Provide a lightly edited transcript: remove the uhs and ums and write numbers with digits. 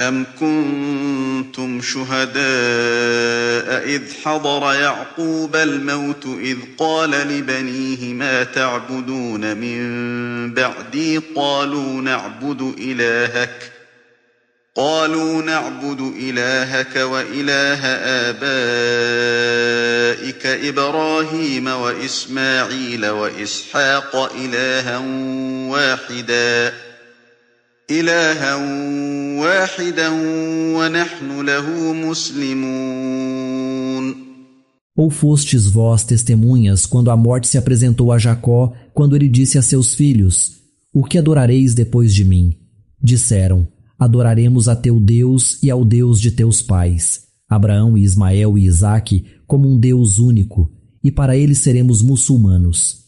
أَمْ كُنتُمْ شُهَدَاءَ إِذْ حَضَرَ يَعْقُوبَ الْمَوْتُ إِذْ قَالَ لِبَنِيهِ مَا تَعْبُدُونَ مِن بَعْدِي قَالُوا نَعْبُدُ إِلَٰهَكَ وَإِلَٰهَ آبَائِكَ إِبْرَاهِيمَ وَإِسْمَاعِيلَ وَإِسْحَاقَ إِلَٰهًا وَاحِدًا وَنَحْنُ لَهُ مُسْلِمُونَ. Ou fostes vós testemunhas quando a morte se apresentou a Jacó, quando ele disse a seus filhos: O que adorareis depois de mim? Disseram: Adoraremos a teu Deus e ao Deus de teus pais, Abraão e Ismael e Isaque, como um Deus único, e para ele seremos muçulmanos.